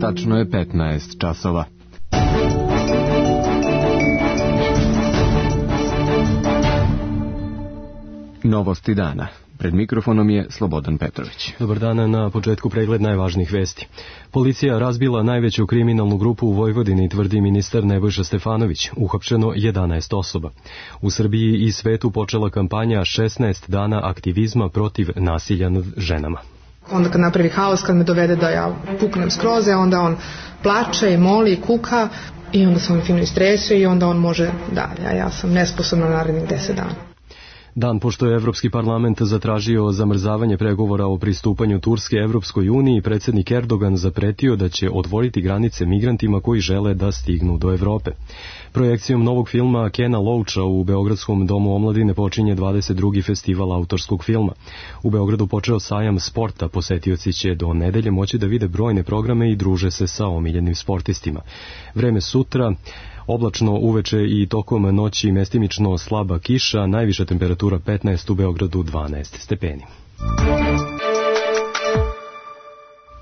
Tačno je 15 časova. Novosti dana. Pred mikrofonom je Slobodan Petrović. Dobar dan, na početku pregled najvažnijih vesti. Policija razbila najveću kriminalnu grupu u Vojvodini, tvrdi ministar Nebojša Stefanović. Uhapšeno 11 osoba. U Srbiji i svetu počela kampanja 16 dana aktivizma protiv nasilja nad ženama. Onda kad napravi haos, kad me dovede da ja puknem skroz, onda on plače i moli i kuka i onda se on fino istresuje i onda on može dalje, a ja sam nesposobna narednih 10 dana. Dan pošto je Evropski parlament zatražio zamrzavanje pregovora o pristupanju Turske Evropskoj uniji, predsjednik Erdogan zapretio da će otvoriti granice migrantima koji žele da stignu do Evrope. Projekcijom novog filma Kena Loacha u Beogradskom domu omladine počinje 22. festival autorskog filma. U Beogradu počeo sajam sporta, posetioci će do nedelje moći da vide brojne programe i druže se sa omiljenim sportistima. Vreme sutra, oblačno uveče i tokom noći mestimično slaba kiša, najviša temperatura 15, u Beogradu 12 stepeni.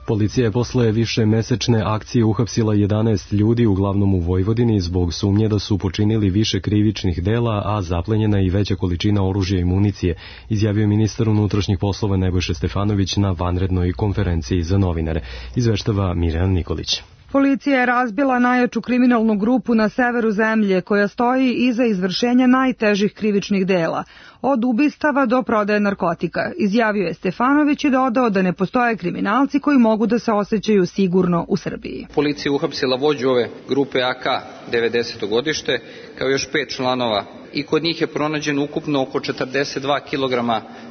Policija je posle više mesečne akcije uhapsila 11 ljudi, uglavnom u Vojvodini, zbog sumnje da su počinili više krivičnih dela, a zaplenjena i veća količina oružja i municije, izjavio ministar unutrašnjih poslova Nebojša Stefanović na vanrednoj konferenciji za novinare, izveštava Mirjana Nikolić. Policija je razbila najjaču kriminalnu grupu na severu zemlje koja stoji iza izvršenja najtežih krivičnih dela, od ubistava do prodaje narkotika, izjavio je Stefanović i dodao da ne postoje kriminalci koji mogu da se osjećaju sigurno u Srbiji. Policija je uhapsila vođu ove grupe AK 90. godište, kao još 5 članova, i kod njih je pronađeno ukupno oko 42 kg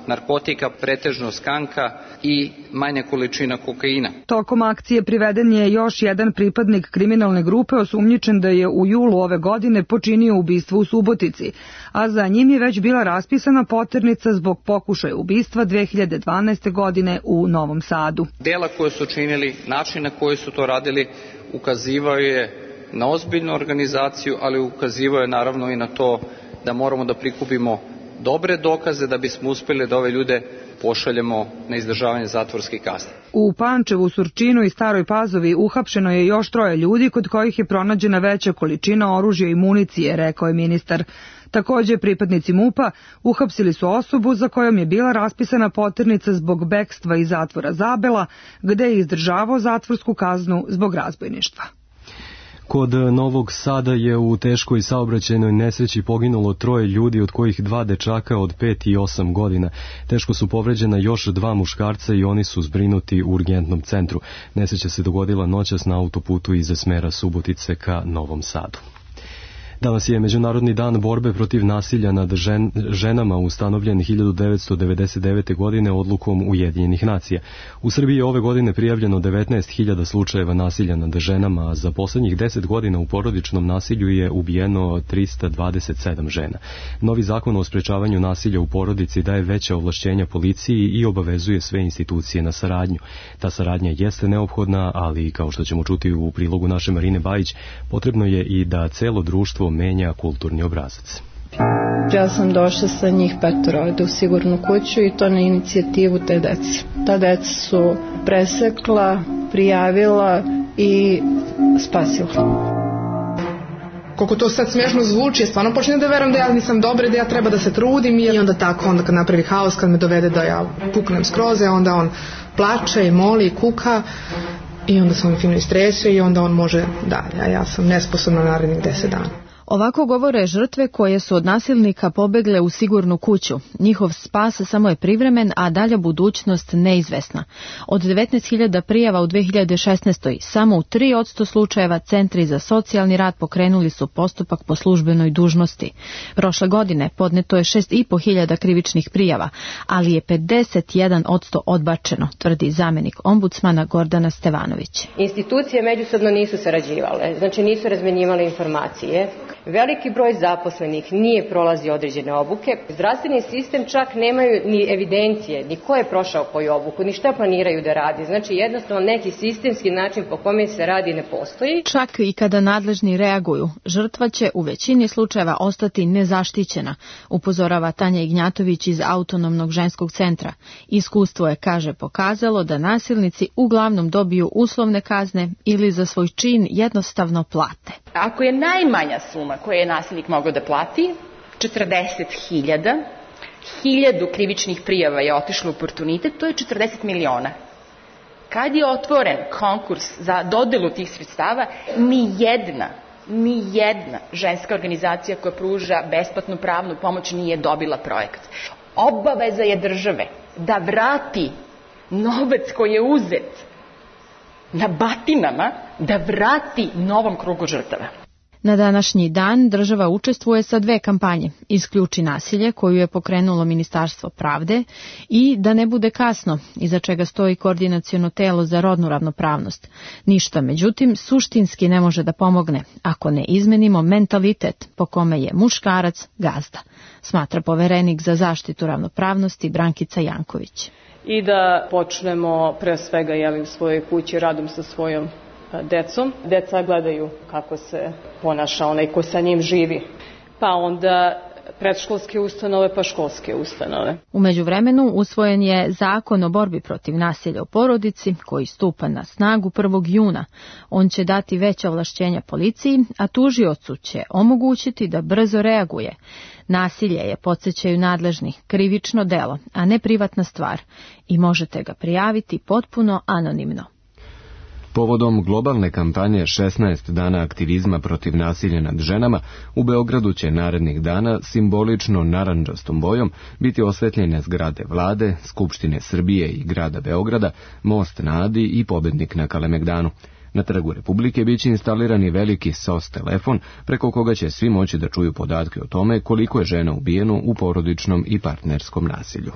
narkotika, pretežno skanka i manja količina kokaina. Tokom akcije priveden je još jedan pripadnik kriminalne grupe osumnjičen da je u julu ove godine počinio ubistvo u Subotici, a za njim je već bila raspisana poternica zbog pokušaja ubistva 2012. godine u Novom Sadu. Dela koje su činili, način na koji su to radili, ukazivao je na ozbiljnu organizaciju, ali ukazivao je naravno i na to da moramo da prikupimo dobre dokaze da bismo uspjeli da ove ljude pošaljemo na izdržavanje zatvorske kazne. U Pančevu, Surčinu i Staroj Pazovi uhapšeno je još 3 ljudi kod kojih je pronađena veća količina oružja i municije, rekao je ministar. Također, pripadnici MUP-a uhapsili su osobu za kojom je bila raspisana poternica zbog bekstva iz zatvora Zabela, gde je izdržavao zatvorsku kaznu zbog razbojništva. Kod Novog Sada je u teškoj saobraćajnoj nesreći poginulo 3 ljudi, od kojih 2 dečaka od 5 i 8 godina. Teško su povređena još 2 muškarca i oni su zbrinuti u urgentnom centru. Nesreća se dogodila noćas na autoputu iz smera Subotice ka Novom Sadu. Danas je Međunarodni dan borbe protiv nasilja nad ženama, ustanovljen 1999. godine odlukom Ujedinjenih nacija. U Srbiji je ove godine prijavljeno 19.000 slučajeva nasilja nad ženama, a za poslednjih 10 godina u porodičnom nasilju je ubijeno 327 žena. Novi zakon o sprečavanju nasilja u porodici daje veća ovlašćenja policiji i obavezuje sve institucije na saradnju. Ta saradnja jeste neophodna, ali kao što ćemo čuti u prilogu naše Marine Bajić, potrebno je i da celo društvo menja kulturni obrazac. Ja sam došla sa njih 5 ovde u sigurnu kuću i to na inicijativu te dece. Ta deca su presekla, prijavila i spasila. Koliko to sad smiješno zvuči, ja stvarno počnem da verujem da ja nisam dobra, da ja treba da se trudim i onda tako, onda kad napravi haos, kad me dovede da ja puknem skroz, onda on plače i moli i kuka i onda se on fino istresuje i onda on može dalje, a ja sam nesposobna narednih 10 dana. Ovako govore žrtve koje su od nasilnika pobegle u sigurnu kuću. Njihov spas samo je privremen, a dalja budućnost neizvesna. Od 19.000 prijava u 2016. samo u 3% slučajeva centri za socijalni rad pokrenuli su postupak po službenoj dužnosti. Prošle godine podneto je 6.500 krivičnih prijava, ali je 51% odbačeno, tvrdi zamenik ombudsmana Gordana Stevanović. Institucije međusobno nisu sarađivale, znači nisu razmenjivale informacije. Veliki broj zaposlenih nije prolazio određene obuke. Zdravstveni sistem čak nemaju ni evidencije, ni ko je prošao koju obuku, ni šta planiraju da radi. Znači jednostavno neki sistemski način po kome se radi ne postoji. Čak i kada nadležni reaguju, žrtva će u većini slučajeva ostati nezaštićena, upozorava Tanja Ignjatović iz Autonomnog ženskog centra. Iskustvo je, kaže, pokazalo da nasilnici uglavnom dobiju uslovne kazne ili za svoj čin jednostavno plate. Ako je najmanja suma koju je nasilnik mogao da plati, 40.000, 1000 krivičnih prijava je otišlo u oportunitet, to je 40 miliona. Kad je otvoren konkurs za dodelu tih sredstava, ni jedna ženska organizacija koja pruža besplatnu pravnu pomoć nije dobila projekat. Obaveza je države da vrati novac koji je uzet na batinama, da vrati novom krugu žrtava. Na današnji dan država učestvuje sa 2 kampanje. Isključi nasilje, koju je pokrenulo Ministarstvo pravde, i Da ne bude kasno, iza čega stoji Koordinaciono telo za rodnu ravnopravnost. Ništa, međutim, suštinski ne može da pomogne ako ne izmenimo mentalitet po kome je muškarac gazda, smatra poverenik za zaštitu ravnopravnosti Brankica Janković. I da počnemo pre svega u svojoj kući radom sa svojom decom. Deca gledaju kako se ponaša onaj ko sa njim živi. Pa onda predškolske ustanove, pa školske ustanove. U međuvremenu usvojen je Zakon o borbi protiv nasilja u porodici koji stupa na snagu 1. juna. On će dati veća ovlašćenja policiji, a tužiocu će omogućiti da brzo reaguje. Nasilje je, podsjećaju nadležni, krivično delo, a ne privatna stvar, i možete ga prijaviti potpuno anonimno. Povodom globalne kampanje 16 dana aktivizma protiv nasilja nad ženama, u Beogradu će narednih dana simbolično narandžastom bojom biti osvetljene zgrade Vlade, Skupštine Srbije i grada Beograda, Most na Adi i Pobednik na Kalemegdanu. Na Trgu Republike biće instalirani veliki SOS telefon preko koga će svi moći da čuju podatke o tome koliko je žena ubijeno u porodičnom i partnerskom nasilju.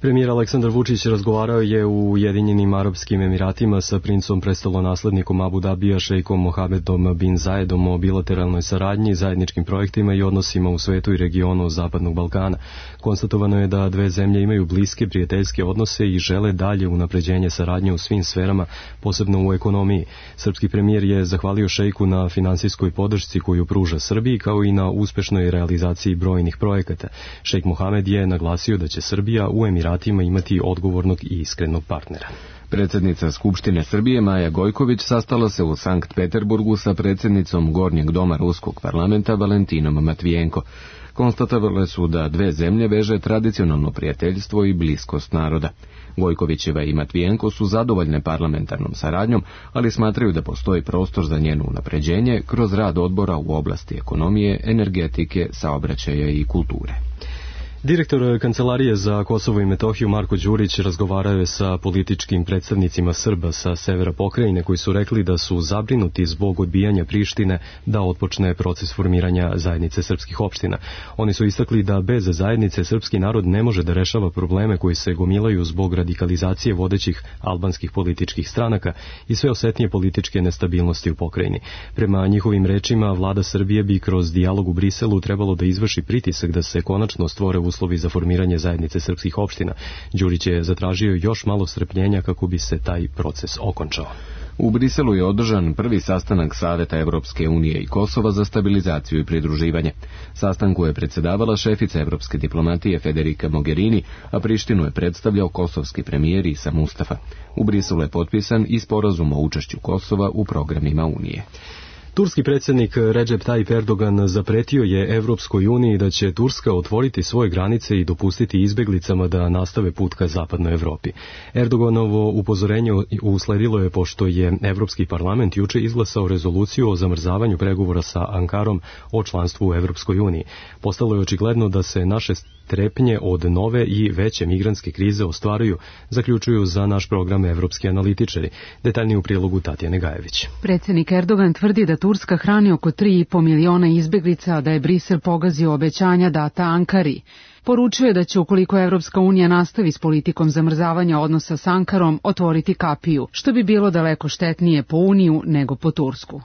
Premijer Aleksandar Vučić razgovarao je u Ujedinjenim Arapskim Emiratima sa princom prestolonaslednikom Abu Dabija šejkom Mohamedom bin Zayedom o bilateralnoj saradnji, zajedničkim projektima i odnosima u svetu i regionu Zapadnog Balkana. Konstatovano je da 2 zemlje imaju bliske prijateljske odnose i žele dalje unapređenje saradnje u svim sferama, posebno u ekonomiji. Srpski premijer je zahvalio šejku na finansijskoj podršci koju pruža Srbiji, kao i na uspešnoj realizaciji brojnih projekata. Šejk Mohamed je naglasio da će Srbija u Emiratima imati odgovornog i iskrenog partnera. Predsjednica Skupštine Srbije Maja Gojković sastala se u Sankt Peterburgu sa predsjednicom Gornjeg doma Ruskog parlamenta Valentinom Matvijenko. Konstatovale su da 2 zemlje veže tradicionalno prijateljstvo i bliskost naroda. Gojkovićeva i Matvijenko su zadovoljne parlamentarnom saradnjom, ali smatraju da postoji prostor za njeno unapređenje kroz rad odbora u oblasti ekonomije, energetike, saobraćaja i kulture. Direktor Kancelarije za Kosovo i Metohiju Marko Đurić razgovarao je sa političkim predstavnicima Srba sa severa pokrajine koji su rekli da su zabrinuti zbog odbijanja Prištine da otpočne proces formiranja zajednice srpskih opština. Oni su istakli da bez zajednice srpski narod ne može da rešava probleme koji se gomilaju zbog radikalizacije vodećih albanskih političkih stranaka i sve osetnije političke nestabilnosti u pokrajini. Prema njihovim rečima, vlada Srbije bi kroz dijalog u Briselu trebalo da izvrši pritisak da se konačno stvore uslovi za formiranje zajednice srpskih opština. Đurić je zatražio još malo strpljenja kako bi se taj proces okončao. U Briselu je održan prvi sastanak Saveta Evropske unije i Kosova za stabilizaciju i pridruživanje. Sastanku je predsedavala šefica evropske diplomatije Federica Mogherini, a Prištinu je predstavljao kosovski premijer Isa Mustafa. U Briselu je potpisan i sporazum o učešću Kosova u programima Unije. Turski predsjednik Recep Tayyip Erdogan zapretio je Evropskoj uniji da će Turska otvoriti svoje granice i dopustiti izbeglicama da nastave put ka zapadnoj Evropi. Erdoganovo upozorenje usledilo je pošto je Evropski parlament juče izglasao rezoluciju o zamrzavanju pregovora sa Ankarom o članstvu u Evropskoj uniji. Postalo je očigledno da se naše strepnje od nove i veće migrantske krize ostvaruju, zaključuju za naš program evropski analitičari. Detaljnije u prilogu Tatjane Gajević. Predsjednik Erdogan tvrdi da Turska hrani oko 3,5 miliona izbeglica, a da je Brisel pogazio obećanja data Ankari. Poručio je da će, ukoliko Evropska unija nastavi s politikom zamrzavanja odnosa s Ankarom, otvoriti kapiju, što bi bilo daleko štetnije po Uniju nego po Tursku.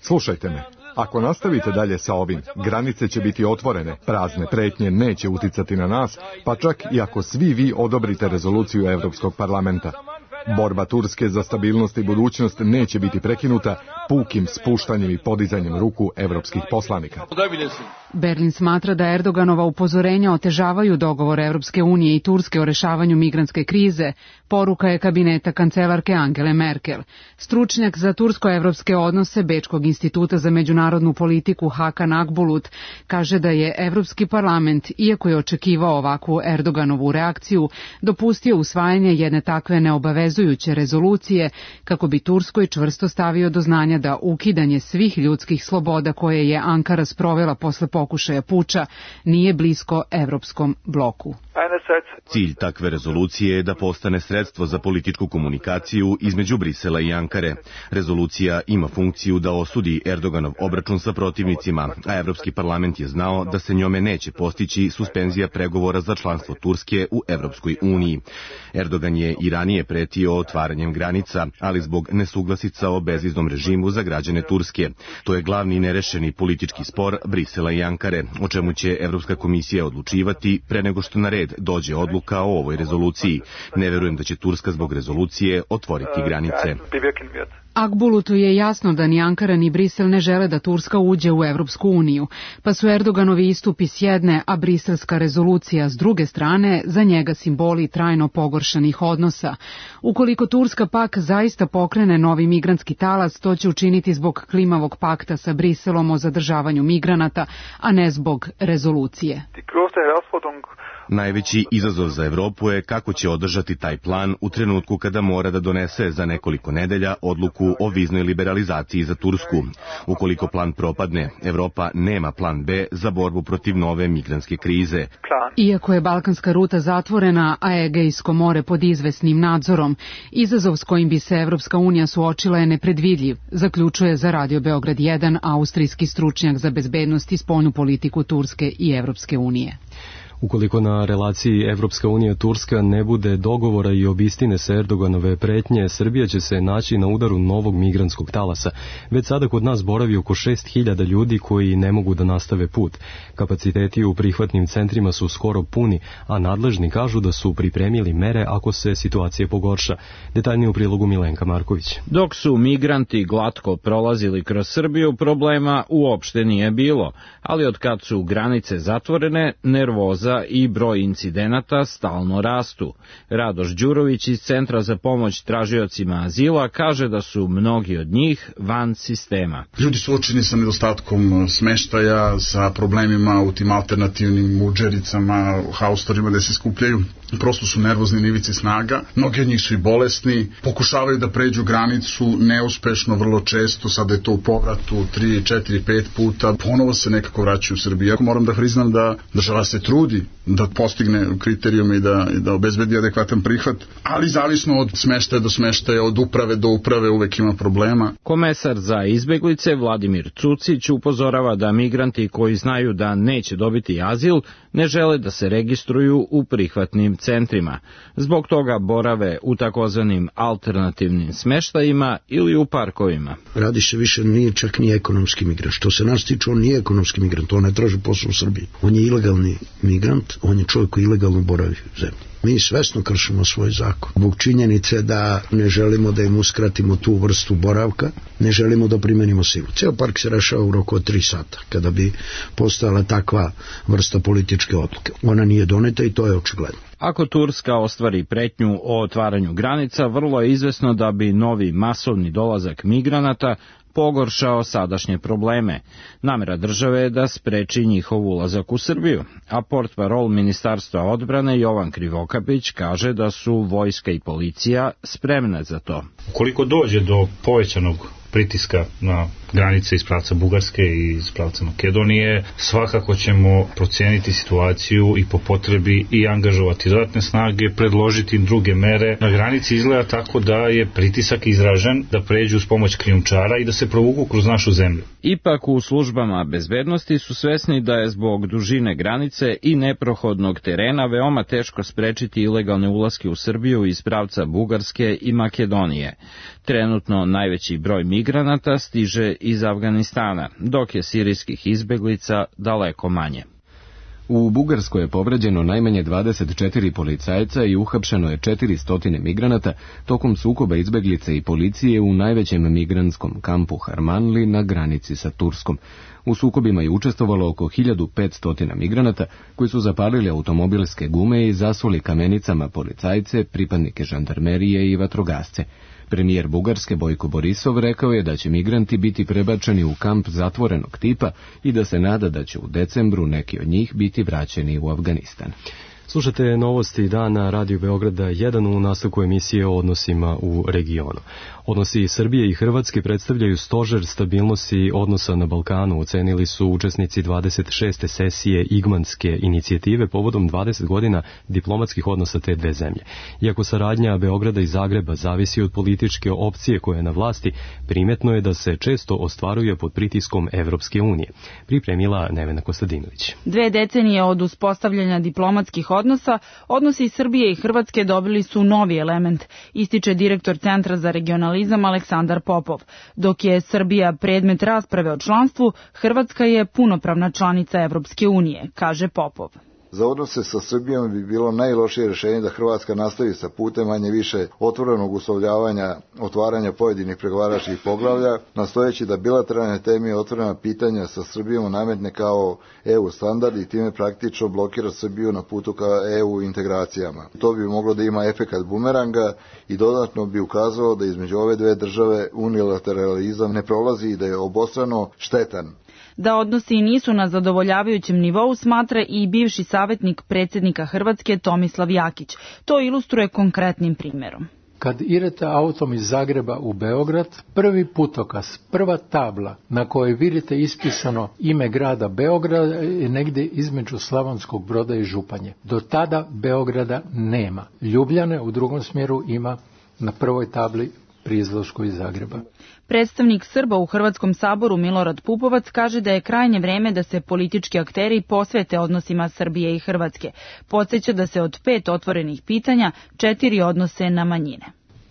Slušajte me. Ako nastavite dalje sa ovim, granice će biti otvorene, prazne pretnje neće uticati na nas, pa čak i ako svi vi odobrite rezoluciju Evropskog parlamenta. Borba Turske za stabilnost i budućnost neće biti prekinuta pukim spuštanjem i podizanjem ruku evropskih poslanika. Berlin smatra da Erdoganova upozorenja otežavaju dogovor Evropske unije i Turske o rešavanju migrantske krize. Poruka je kabineta kancelarke Angele Merkel. Stručnjak za tursko-evropske odnose Bečkog instituta za međunarodnu politiku Hakan Akbulut kaže da je Evropski parlament, iako je očekivao ovakvu Erdoganovu reakciju, dopustio usvajanje jedne takve neobavezujuće rezolucije kako bi Turskoj čvrsto stavio do znanja da ukidanje svih ljudskih sloboda koje je Ankara sprovela posle pokušaja puča nije blisko evropskom bloku. Cilj takve rezolucije je da postane sredstvo za političku komunikaciju između Brisela i Ankare. Rezolucija ima funkciju da osudi Erdoganov obračun sa protivnicima, a Evropski parlament je znao da se njome neće postići suspenzija pregovora za članstvo Turske u Evropskoj uniji. Erdogan je i ranije pretio otvaranjem granica, ali zbog nesuglasica o bezviznom režimu za građane Turske. To je glavni nerešeni politički spor Brisela i Ankare, o čemu će Evropska komisija odlučivati pre nego što na red dođe odluka o ovoj rezoluciji. Ne verujem da će Turska zbog rezolucije otvoriti granice. Akbulutu je jasno da ni Ankara ni Brisel ne žele da Turska uđe u Evropsku uniju, pa su Erdoganovi istupi s jedne, a briselska rezolucija s druge strane za njega simboli trajno pogoršanih odnosa. Ukoliko Turska pak zaista pokrene novi migrantski talas, to će učiniti zbog klimavog pakta sa Briselom o zadržavanju migranata, a ne zbog rezolucije. Najveći izazov za Evropu je kako će održati taj plan u trenutku kada mora da donese za nekoliko nedelja odluku o viznoj liberalizaciji za Tursku. Ukoliko plan propadne, Evropa nema plan B za borbu protiv nove migrantske krize. Iako je balkanska ruta zatvorena, a Egejsko more pod izvesnim nadzorom, izazov s kojim bi se Evropska unija suočila je nepredvidljiv, zaključuje za Radio Beograd 1 austrijski stručnjak za bezbednost i spoljnu politiku Turske i Evropske unije. Ukoliko na relaciji Evropska unija-Turska ne bude dogovora i obistine se Erdoganove pretnje, Srbija će se naći na udaru novog migrantskog talasa. Već sada kod nas boravi oko 6.000 ljudi koji ne mogu da nastave put. Kapaciteti u prihvatnim centrima su skoro puni, a nadležni kažu da su pripremili mere ako se situacija pogorša. Detaljnije u prilogu Milenka Marković. Dok su migranti glatko prolazili kroz Srbiju, problema uopšte nije bilo, ali od kad su granice zatvorene, nervoza i broj incidenata stalno rastu. Radoš Đurović iz Centra za pomoć tražiocima azila kaže da su mnogi od njih van sistema. Ljudi su suočeni sa nedostatkom smeštaja, sa problemima u tim alternativnim muđericama, haustorima gde se skupljaju. Prosto su nervozni na ivici snaga. Mnogi od njih su i bolesni, pokušavaju da pređu granicu neuspešno vrlo često, sada je to u povratu 3, 4, 5 puta, ponovo se nekako vraćaju u Srbiju. Moram da priznam da država se trudi da postigne kriterijume i da obezbedi adekvatan prihvat, ali zavisno od smeštaja do smeštaja, od uprave do uprave uvek ima problema. Komesar za izbeglice Vladimir Cucić upozorava da migranti koji znaju da neće dobiti azil ne žele da se registruju u prihvatnim centrima. Zbog toga borave u takozvanim alternativnim smeštajima ili u parkovima. Radi se više nije čak ni ekonomski migrant. Što se nas tiče, on nije ekonomski migrant, on ne traži posao u Srbiji. On je ilegalni migrant, on je čovjek koji ilegalno boravi u zemlji. Mi svesno kršimo svoj zakon. Zbog činjenice da ne želimo da im uskratimo tu vrstu boravka, ne želimo da primenimo silu. Ceo park se rešava u roku od 3 sata, kada bi postojala takva vrsta političke odluke. Ona nije doneta i to je očigledno. Ako Turska ostvari pretnju o otvaranju granica, vrlo je izvesno da bi novi masovni dolazak migranata pogoršao sadašnje probleme. Namera države je da spreči njihov ulazak u Srbiju, a portparol Ministarstva odbrane Jovan Krivokapić kaže da su vojska i policija spremne za to. Ukoliko dođe do povećanog pritiska na granice iz pravca Bugarske i iz pravca Makedonije. Svakako ćemo procijeniti situaciju i po potrebi i angažovati dodatne snage, predložiti druge mere. Na granici izgleda tako da je pritisak izražen da pređu s pomoć krijumčara i da se provuku kroz našu zemlju. Ipak u službama bezbednosti su svesni da je zbog dužine granice i neprohodnog terena veoma teško sprečiti ilegalne ulaske u Srbiju iz pravca Bugarske i Makedonije. Trenutno najveći broj migranata stiže iz Afganistana, dok je sirijskih izbeglica daleko manje. U Bugarskoj je povređeno najmanje 24 policajca i uhapšeno je 400 migranata tokom sukoba izbeglice i policije u najvećem migrantskom kampu Harmanli na granici sa Turskom. U sukobima je učestvovalo oko 1500 migranata koji su zapalili automobilske gume i zasuli kamenicama policajce, pripadnike žandarmerije i vatrogasce. Premijer Bugarske Bojko Borisov rekao je da će migranti biti prebačeni u kamp zatvorenog tipa i da se nada da će u decembru neki od njih biti vraćeni u Afganistan. Slušate novosti dana Radio Beograda 1 u nastavku emisije o odnosima u regionu. Odnosi Srbije i Hrvatske predstavljaju stožer stabilnosti odnosa na Balkanu, ocenili su učesnici 26. sesije Igmanske inicijative povodom 20 godina diplomatskih odnosa te dve zemlje. Iako saradnja Beograda i Zagreba zavisi od političke opcije koja je na vlasti, primetno je da se često ostvaruje pod pritiskom Evropske unije. Pripremila Nevena Kostadinović. 2 decenije od uspostavljanja diplomatskih odnosa, odnosi Srbije i Hrvatske dobili su novi element, ističe direktor Centra za regionalizam Aleksandar Popov. Dok je Srbija predmet rasprave o članstvu, Hrvatska je punopravna članica Evropske unije, kaže Popov. Za odnose sa Srbijom bi bilo najlošije rješenje da Hrvatska nastavi sa putem manje više otvorenog uslovljavanja, otvaranja pojedinih pregovaračkih poglavlja, nastojeći da bilateralne teme i otvorena pitanja sa Srbijom nametne kao EU standard i time praktično blokira Srbiju na putu ka EU integracijama. To bi moglo da ima efekat bumeranga i dodatno bi ukazalo da između ove dve države unilateralizam ne prolazi i da je obostrano štetan. Da odnosi nisu na zadovoljavajućem nivou smatra i bivši savjetnik predsjednika Hrvatske Tomislav Jakić. To ilustruje konkretnim primjerom. Kad idete autom iz Zagreba u Beograd, prvi putokaz, prva tabla na kojoj vidite ispisano ime grada Beograda je negdje između Slavonskog Broda i Županje. Do tada Beograda nema. Ljubljane u drugom smjeru ima na prvoj tabli pri izlasku iz Zagreba. Predstavnik Srba u Hrvatskom saboru Milorad Pupovac kaže da je krajnje vreme da se politički akteri posvete odnosima Srbije i Hrvatske. Podsjeća da se od 5 otvorenih pitanja 4 odnose na manjine.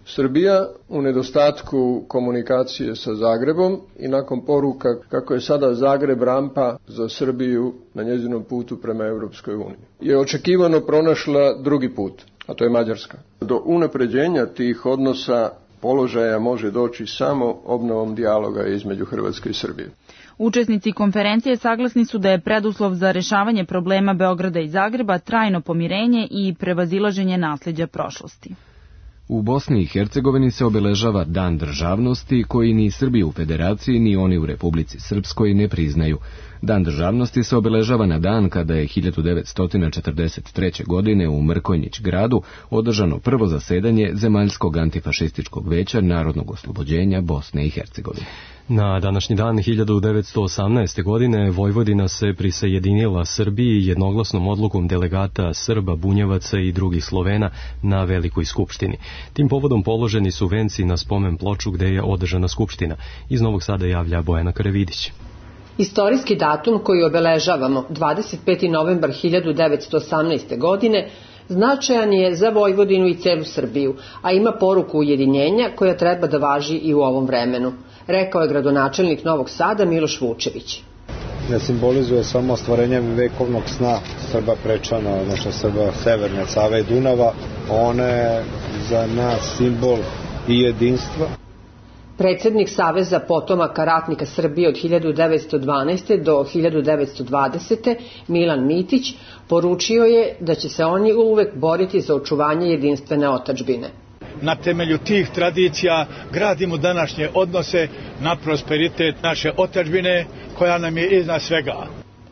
Srbija u nedostatku komunikacije sa Zagrebom i nakon poruka kako je sada Zagreb rampa za Srbiju na njezinom putu prema Europskoj uniji, je očekivano pronašla drugi put, a to je Mađarska. Do unapređenja tih odnosa položaja može doći samo obnovom dijaloga između Hrvatske i Srbije. Učesnici konferencije saglasni su da je preduslov za rješavanje problema Beograda i Zagreba trajno pomirenje i prevazilaženje nasljeđa prošlosti. U Bosni i Hercegovini se obeležava Dan državnosti koji ni Srbi u Federaciji ni oni u Republici Srpskoj ne priznaju. Dan državnosti se obeležava na dan kada je 1943. godine u Mrkonjić gradu održano prvo zasedanje Zemaljskog antifašističkog veća Narodnog oslobođenja Bosne i Hercegovine. Na današnji dan 1918. godine Vojvodina se prisajedinila Srbiji jednoglasnom odlukom delegata Srba, Bunjevaca i drugih Slovena na Velikoj skupštini. Tim povodom položeni su venci na spomen ploču gde je održana skupština. Iz Novog Sada javlja Bojana Karavidić. Istorijski datum koji obeležavamo 25. novembar 1918. godine značajan je za Vojvodinu i celu Srbiju, a ima poruku ujedinjenja koja treba da važi i u ovom vremenu, rekao je gradonačelnik Novog Sada Miloš Vučević. Ne simbolizuje samo ostvarenje vekovnog sna Srba Prečana, odnosno Srba Severne Save i Dunava, ona je za nas simbol i jedinstva. Predsjednik Saveza potomaka ratnika Srbije od 1912. do 1920. Milan Mitić poručio je da će se oni uvek boriti za očuvanje jedinstvene otadžbine. Na temelju tih tradicija gradimo današnje odnose na prosperitet naše otadžbine koja nam je iznad svega.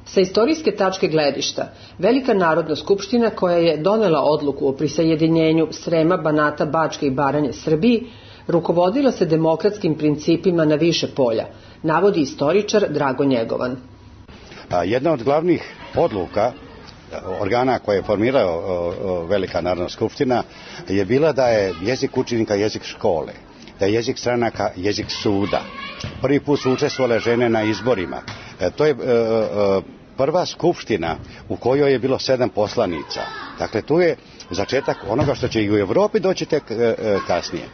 Sa istorijske tačke gledišta, Velika narodna skupština koja je donela odluku o prisajedinjenju Srema, Banata, Bačke i Baranje Srbiji rukovodila se demokratskim principima na više polja, navodi istoričar Drago Njegovan. Jedna od glavnih odluka organa koje je formirao Velika Narodna skupština je bila da je jezik učenika jezik škole, da je jezik stranaka jezik suda. Prvi put su učestvovale žene na izborima. To je prva skupština u kojoj je bilo 7 poslanica. Dakle, tu je začetak onoga što će i u Evropi doći tek kasnije.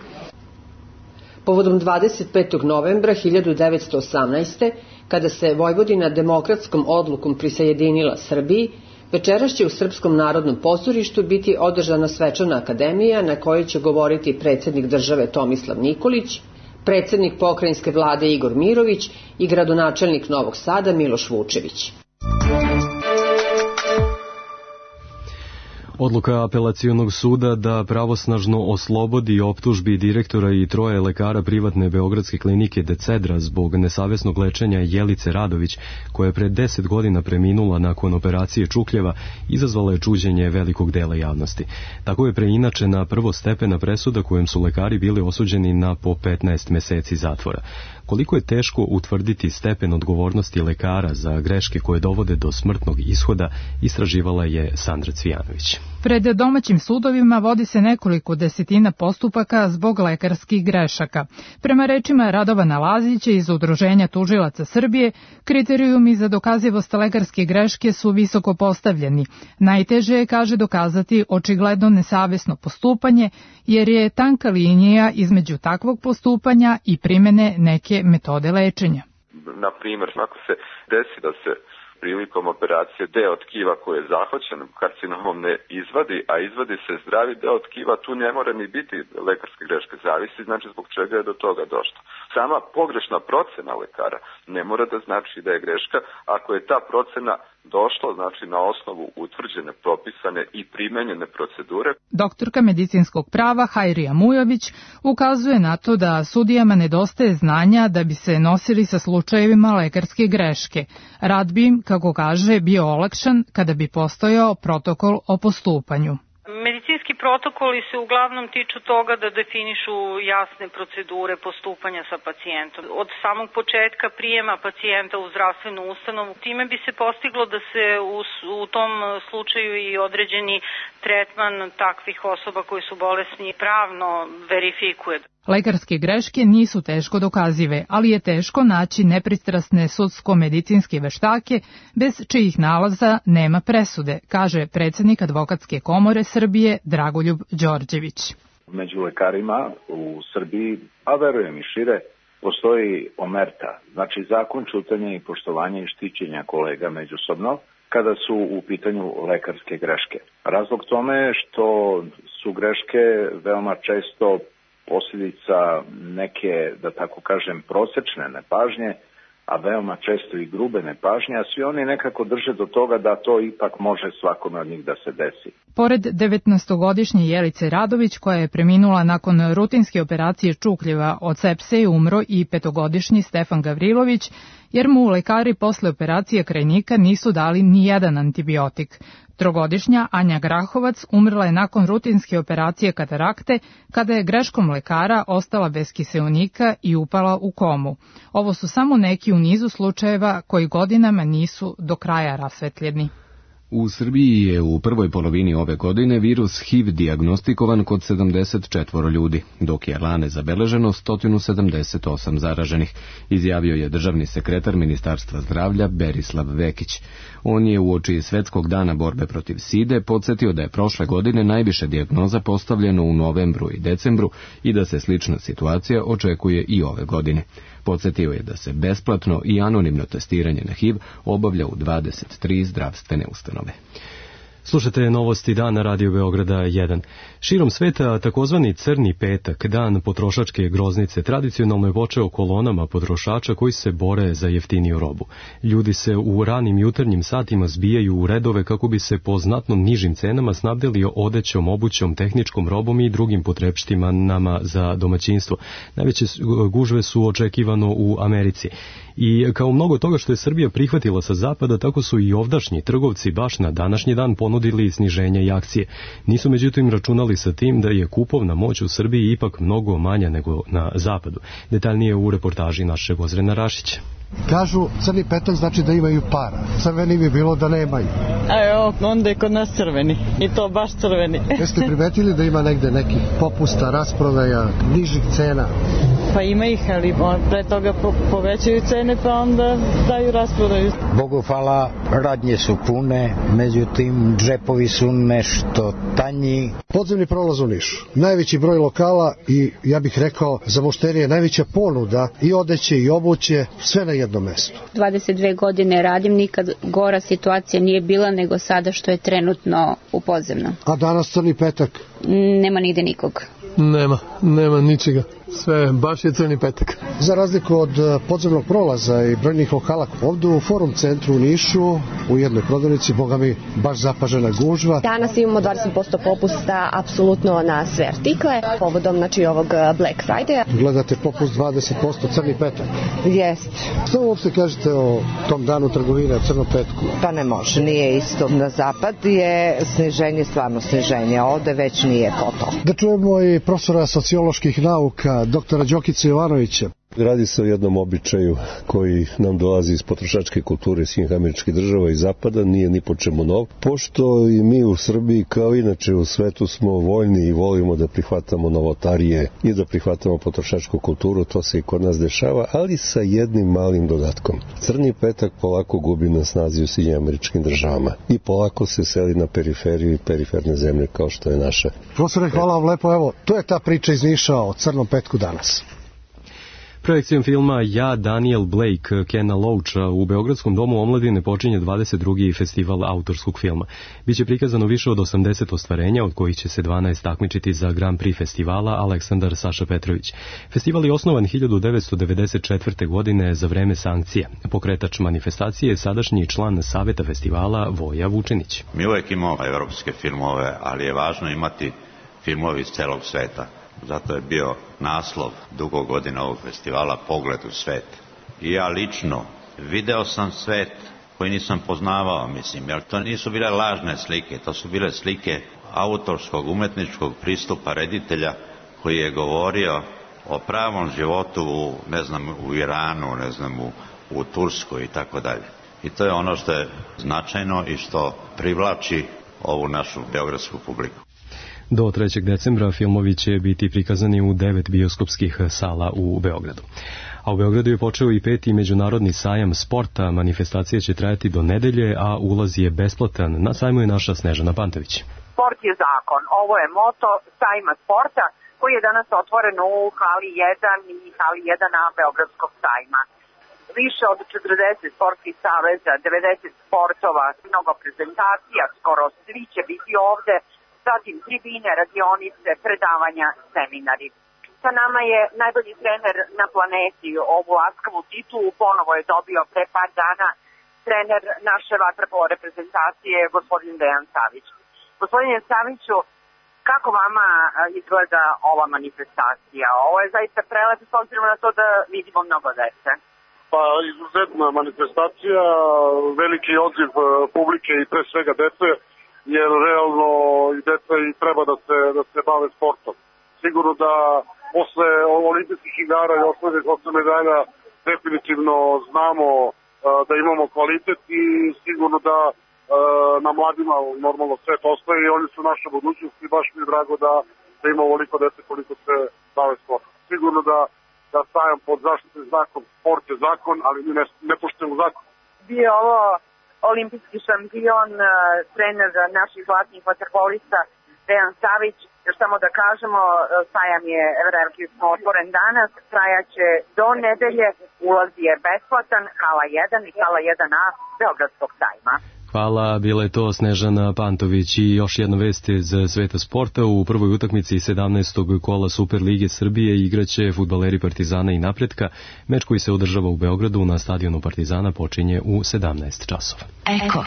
Povodom 25. novembra 1918. kada se Vojvodina demokratskom odlukom prisajedinila Srbiji, večeras će u Srpskom narodnom pozorištu biti održana svečana akademija na kojoj će govoriti predsjednik države Tomislav Nikolić, predsjednik pokrajinske vlade Igor Mirović i gradonačelnik Novog Sada Miloš Vučević. Odluka apelacionog suda da pravosnažno oslobodi optužbi direktora i 3 lekara privatne beogradske klinike Decedra zbog nesavesnog lečenja Jelice Radović, koja je pred 10 godina preminula nakon operacije čukljeva, izazvala je čuđenje velikog dela javnosti. Tako je preinačena prvostepena presuda kojem su lekari bili osuđeni na po 15 meseci zatvora. Koliko je teško utvrditi stepen odgovornosti lekara za greške koje dovode do smrtnog ishoda, istraživala je Sandra Cvijanović. Pred domaćim sudovima vodi se nekoliko desetina postupaka zbog lekarskih grešaka. Prema rečima Radovana Lazića iz Udruženja tužilaca Srbije, kriterijumi za dokazivost lekarske greške su visoko postavljeni. Najteže je, kaže, dokazati očigledno nesavesno postupanje, jer je tanka linija između takvog postupanja i primene neke metode lečenja. Na primjer, ako se desi da se prilikom operacije deo tkiva koji je zahvaćen karcinomom ne izvadi, a izvadi se zdravi deo tkiva, tu ne mora ni biti lekarske greške, zavisi znači zbog čega je do toga došlo. Sama pogrešna procena lekara ne mora da znači da je greška, ako je ta procena došla znači na osnovu utvrđene, propisane i primenjene procedure. Doktorka medicinskog prava Hajrija Mujović ukazuje na to da sudijama nedostaje znanja da bi se nosili sa slučajevima lekarske greške. Rad bi im, kako kaže, bio olakšan kada bi postojao protokol o postupanju. Medicinski protokoli se uglavnom tiču toga da definišu jasne procedure postupanja sa pacijentom. Od samog početka prijema pacijenta u zdravstvenu ustanovu, time bi se postiglo da se u tom slučaju i određeni tretman takvih osoba koji su bolesni pravno verifikuje. Lekarske greške nisu teško dokazive, ali je teško naći nepristrasne sudsko-medicinske veštake bez čijih nalaza nema presude, kaže predsjednik Advokatske komore Srbije Dragoljub Đorđević. Među lekarima u Srbiji, a verujem i šire, postoji omerta, znači zakon ćutanja i poštovanja i štićenja kolega međusobno kada su u pitanju lekarske greške. Razlog tome je što su greške veoma često posljedica neke, da tako kažem, prosečne nepažnje, a veoma često i grube nepažnje, a svi oni nekako drže do toga da to ipak može svakome od njih da se desi. Pored 19-godišnje Jelice Radović, koja je preminula nakon rutinske operacije čukljeva od sepse, umro i 5-godišnji Stefan Gavrilović, jer mu lekari posle operacije krajnika nisu dali ni jedan antibiotik. 3-godišnja Anja Grahovac umrla je nakon rutinske operacije katarakte, kada je greškom lekara ostala bez kiseonika i upala u komu. Ovo su samo neki u nizu slučajeva koji godinama nisu do kraja rasvetljeni. U Srbiji je u prvoj polovini ove godine virus HIV dijagnostikovan kod 74 ljudi, dok je lane zabeleženo 178 zaraženih, izjavio je državni sekretar Ministarstva zdravlja Berislav Vekić. On je uoči Svetskog dana borbe protiv side podsjetio da je prošle godine najviše dijagnoza postavljeno u novembru i decembru i da se slična situacija očekuje i ove godine. Podsjetio je da se besplatno i anonimno testiranje na HIV obavlja u 23 zdravstvene ustanove. Slušajte novosti dana Radio Beograda 1. Širom sveta takozvani Crni petak, dan potrošačke groznice, tradicionalno je počeo kolonama potrošača koji se bore za jeftiniju robu. Ljudi se u ranim jutarnjim satima zbijaju u redove kako bi se po znatno nižim cenama snabdeli odećom, obućom, tehničkom robom i drugim potrepštinama za domaćinstvo. Najveće gužve su očekivano u Americi. I kao mnogo toga što je Srbija prihvatila sa zapada, tako su i ovdašnji trgovci baš na današnji dan ponudili sniženje i akcije. Nisu međutim računali sa tim da je kupovna moć u Srbiji ipak mnogo manja nego na zapadu. Detaljnije u reportaži našeg Ozrena Rašića. Kažu, crni petak znači da imaju para. Crveni bi bilo da nemaju. A evo, onda je kod nas crveni. I to baš crveni. Jeste primetili da ima negde nekih popusta, rasprodaja, nižih cena? Pa ima ih, ali pre toga povećaju cene, pa onda daju rasprodaju. Bogu hvala, radnje su pune, međutim džepovi su nešto tanji. Podzemni prolaz u Nišu. Najveći broj lokala i, ja bih rekao, za mušterije najveća ponuda i odeće i obuće, sve na jednom mestu. 22 godine radim, nikad gora situacija nije bila nego sada što je trenutno u podzemnom. A danas crni petak? Nema nigde nikog. Nema ničega. Sve, baš je crni petak. Za razliku od podzemnog prolaza i brojnih lokala, ovdje u Forum centru u Nišu, u jednoj prodavnici, boga mi, baš zapažena gužva. Danas imamo 20% popusta apsolutno na sve artikle, povodom ovog Black Friday. Gledate popust 20% crni petak? Jest. Što uopšte kažete o tom danu trgovine, crnom petku? Pa ne može, nije isto. Na zapad je sniženje, stvarno sniženje, ovde već nije to. Da čujemo i profesora socioloških nauka, doktora Đokice Jovanovića. Radi se o jednom običaju koji nam dolazi iz potrošačke kulture Sjedinjenih Američkih Država i Zapada, nije ni po čemu nov. Pošto i mi u Srbiji, kao inače u svetu, smo voljni i volimo da prihvatamo novotarije i da prihvatamo potrošačku kulturu, to se i kod nas dešava, ali sa jednim malim dodatkom. Crni petak polako gubi na snazi u Sjedinjenim Američkim Državama i polako se seli na periferiju i periferne zemlje kao što je naša. Profesore, hvala vam lepo, evo, to je ta priča iz Niša o crnom petku danas. Projekcijom filma Ja, Daniel Blake, Kena Loacha u Beogradskom domu omladine počinje 22. festival autorskog filma. Biće prikazano više od 80 ostvarenja, od kojih će se 12 takmičiti za Grand Prix festivala Aleksandar Saša Petrović. Festival je osnovan 1994. godine za vreme sankcija. Pokretač manifestacije je sadašnji član Saveta festivala Voja Vučenić. Mi uvek imamo evropske filmove, ali je važno imati filmovi iz celog sveta. Zato je bio naslov dugo godina ovog festivala Pogled u svet. I ja lično video sam svet koji nisam poznavao, jer to nisu bile lažne slike, to su bile slike autorskog, umetničkog pristupa reditelja koji je govorio o pravom životu u Iranu, u Turskoj i tako dalje. I to je ono što je značajno i što privlači ovu našu beogradsku publiku. Do 3. decembra filmovi će biti prikazani u 9 bioskopskih sala u Beogradu. A u Beogradu je počeo i 5. međunarodni sajam sporta. Manifestacija će trajati do nedelje, a ulaz je besplatan. Na sajmu je naša Snežana Pantović. Sport je zakon. Ovo je moto sajma sporta koji je danas otvoren u hali 1 i hali 1A Beogradskog sajma. Više od 40 sportskih saveza, 90 sportova, mnogo prezentacija, skoro svi će biti ovde, zatim tribine, radionice, predavanja, seminari. Sa nama je najbolji trener na planeti, ovu laskavu titulu ponovo je dobio pre par dana trener naše vaterpolo reprezentacije, gospodin Dejan Savić. Gospodine Saviću, kako vama izgleda ova manifestacija? Ovo je zaista prelepo s obzirom na to da vidimo mnogo dece. Pa izuzetna manifestacija, veliki odziv publike i pre svega dece, jer realno i deca i treba da se bave sportom. Sigurno da posle olimpijskih igara i osnovnih 8 medalja definitivno znamo da imamo kvalitet i sigurno da na mladima normalno svet ostaje i oni su naša budućnost i baš mi je drago da ima ovoliko dece koliko se bave sportom. Sigurno da sajam pod zaštitnim znakom, sport je zakon, ali mi ne poštujemo zakon. Bio ovo olimpijski šampion, trener naših zlatnih vaterpolista Dejan Savić. Još samo da kažemo, sajam je relativno otvoren danas, trajaće do nedelje, ulaz je besplatan, hala 1 i hala 1A Beogradskog sajma. Hvala, bila je to Snežana Pantović i još jedna vest iz sveta sporta. U prvoj utakmici 17. kola Super Lige Srbije igraće fudbaleri Partizana i Napretka. Meč koji se održava u Beogradu na stadionu Partizana počinje u 17 časova. Eko.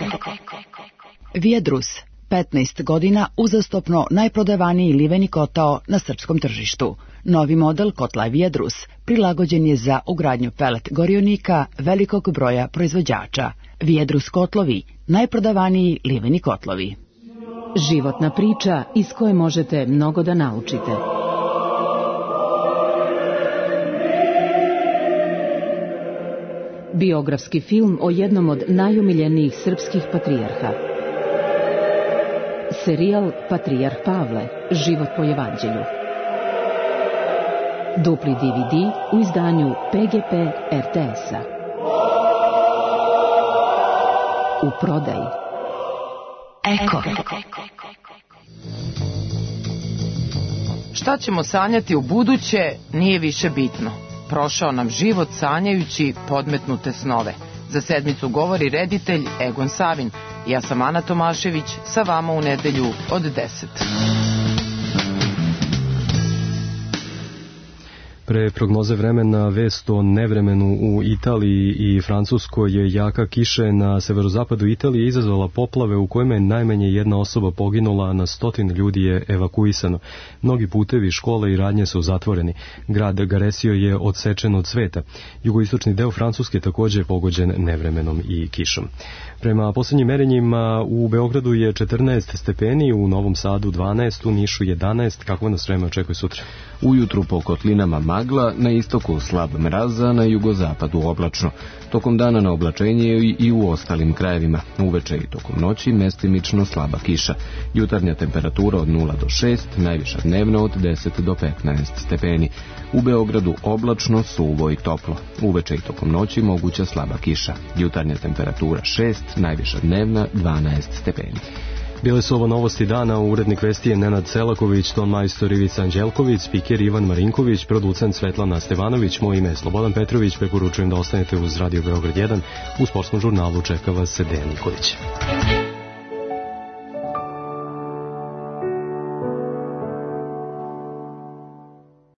Viadrus. 15 godina uzastopno najprodavaniji liveni kotao na srpskom tržištu. Novi model kotla Viedrus prilagođen je za ugradnju pelet gorionika velikog broja proizvođača. Viedrus kotlovi, najprodavaniji liveni kotlovi. Životna priča iz koje možete mnogo da naučite. Biografski film o jednom od najomiljenijih srpskih patrijarha. Serijal Patrijarh Pavle, život po evanđelju. Dupli DVD u izdanju PGP RTS-a. U prodaji. Eko. Šta ćemo sanjati u buduće nije više bitno. Prošao nam život sanjajući podmetnute snove. Za sedmicu govori reditelj Egon Savin. Ja sam Ana Tomašević, sa vama u nedelju od 10. Pre prognoze vremena vest o nevremenu u Italiji i Francuskoj je jaka kiša na severozapadu Italije izazvala poplave u kojima je najmanje jedna osoba poginula, a na 100 ljudi je evakuisano. Mnogi putevi, škole i radnje su zatvoreni. Grad Garesio je odsečen od sveta. Jugoistočni deo Francuske također je pogođen nevremenom i kišom. Prema posljednjim merenjima u Beogradu je 14 stepeni, u Novom Sadu 12, u Nišu 11. Kako nas vreme očekuje sutra? Ujutru po kotlinama magla, na istoku slab mraz, a na jugozapadu oblačno. Tokom dana na oblačenje i u ostalim krajevima. Uveče i tokom noći mestimično slaba kiša. Jutarnja temperatura od 0 do 6, najviša dnevna od 10 do 15 stepeni. U Beogradu oblačno, suvo i toplo. Uveče i tokom noći moguća slaba kiša. Jutarnja temperatura 6, najviša dnevna 12 stepeni. Bile su ovo novosti dana, urednik vesti je Nenad Selaković, ton majstor Ivica Anđelković, spiker Ivan Marinković, producent Svetlana Stevanović, moje ime je Slobodan Petrović, preporučujem da ostanete uz Radio Beograd 1, u sportskom žurnalu čeka vas Dejan Nikolić.